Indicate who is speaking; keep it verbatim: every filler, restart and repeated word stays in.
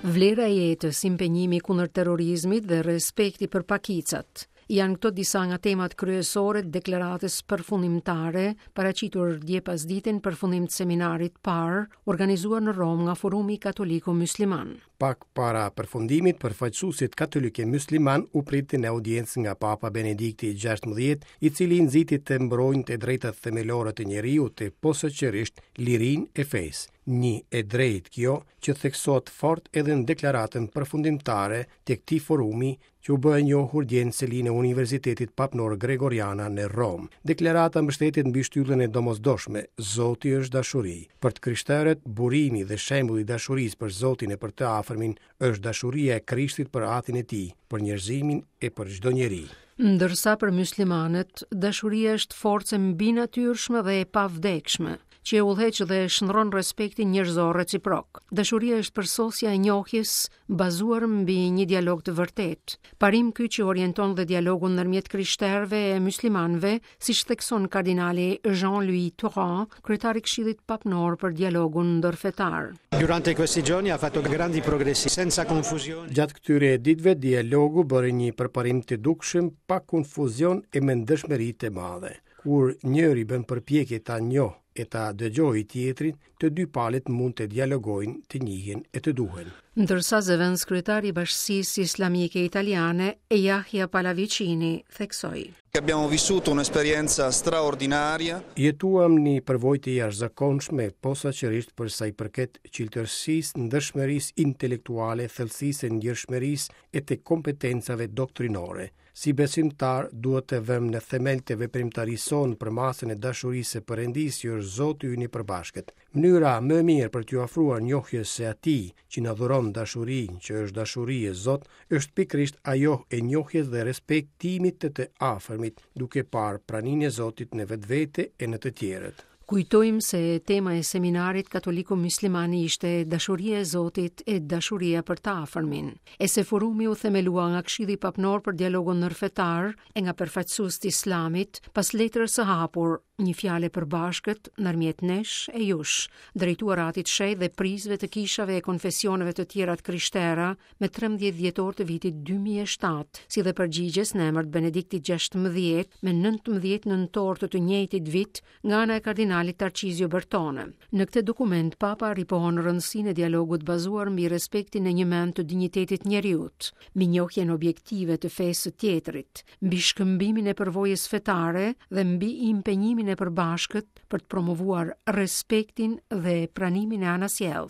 Speaker 1: Vlera e jetës, impenjimi kundër terrorizmit dhe respekti për pakicat janë këto disa nga temat kryesore të deklaratës përfundimtare paraqitur dje pasdite në përfundim të seminarit parë, organizuar në Romë nga Forumi Katoliko Musliman.
Speaker 2: Pak para përfundimit, përfaqësuesit katolikë musliman u pritën në audiencë nga Papa Benedikti gjashtëmbëdhjetë, i cili nxiti të mbrojnë të drejtat themelore të njeriut, posaçërisht lirinë e fesë. Një e drejtë kjo që theksohet fort edhe në deklaratën përfundimtare të këtij forumi që u bë e njohur dje në selinë e Universitetit Papnor Gregoriana në Romë. Deklarata mbështetet mbi shtyllën e domosdoshme, Zoti është dashuri. Për të krishterët, burimi dhe shembulli i dashurisë për Zotin e për të afërmin është dashuria e Krishtit për Atin e Tij, për njerëzimin e për çdo njeri.
Speaker 1: Ndërsa për muslimanët, dashuria është forcë e mbinatyrshme dhe e pavdekshme, që e udhëheq dhe shndron respektin njerëzor reciprok. Dashuria është përsosja e njohjes bazuar mbi një dialog të vërtetë. Parim ky që orienton dhe dialogun ndërmjet krishterëve e muslimanëve, siç thekson kardinali Jean-Louis Tauran, kryetar i Këshillit Papnor për dialogun ndërfetar.
Speaker 3: Durante questi giorni ha fatto grandi progressi, senza confusione.
Speaker 2: Gjatë këtyre ditëve dialogu bëri një përparim të dukshëm, pa konfuzion e me ndershmëri të madhe. Kur njëri bën përpjekje ta njohë e ta dëgjojë tjetrin, të dy palët mund të dialogojnë, të njihen e të duhen.
Speaker 1: Ndërsa zëvendëskryetari i Bashkësisë Islamike Italiane, Jahja Pallavicini, theksoi:
Speaker 4: Abbiamo vissuto un'esperienza straordinaria.
Speaker 2: Jetuam një përvojë të jashtëzakonshme, posaçërisht për sa i përket çiltërsisë, ndershmërisë intelektuale, thellësisë së ndjeshmërisë e të kompetencave doktrinore. Si besimtar duhet të vëmë në themel të veprimtarisë sonë për masën e dashurisë së Perëndisë, që është Zoti ynë i përbashkët. Mënyra më e mirë për t'ju afruar njohjes së Atij që na dhuron dashurinë, që është dashuri e Zot, është pikërisht ajo e njohjes dhe respektimit të të afërmit, duke parë praninë e Zotit në vetvete e në të tjerët.
Speaker 1: Kujtojmë se tema e seminarit katoliko musliman ishte dashuria e Zotit e dashuria për të afërmin, e se forumi u themelua nga Këshilli Papnor për dialogun ndërfetar e nga përfaqësues të Islamit pas letrës së hapur, një fjalë e përbashkët ndërmjet nesh e jush, drejtuar Atit Shenjt dhe prijësve të kishave e konfesioneve të tjera të krishtera me trembëdhjetë dhjetor të vitit dy mijë e shtatë, si dhe përgjigjes në emër të Benediktit gjashtëmbëdhjetë me nëntëmbëdhjetë nëntor të të njëjtit vit nga ana e kardinalit Tarcizio Bertone. Në këtë dokument Papa ripohon rëndësinë e dialogut bazuar mbi respektin e njëmend të dinjitetit njeriut, mbi njohjen objektive të fesë së tjetrit, mbi shkëmbimin e përvojës fetare dhe mbi impenjimin e përbashkët për të promovuar respektin dhe pranimin e anasjelltë.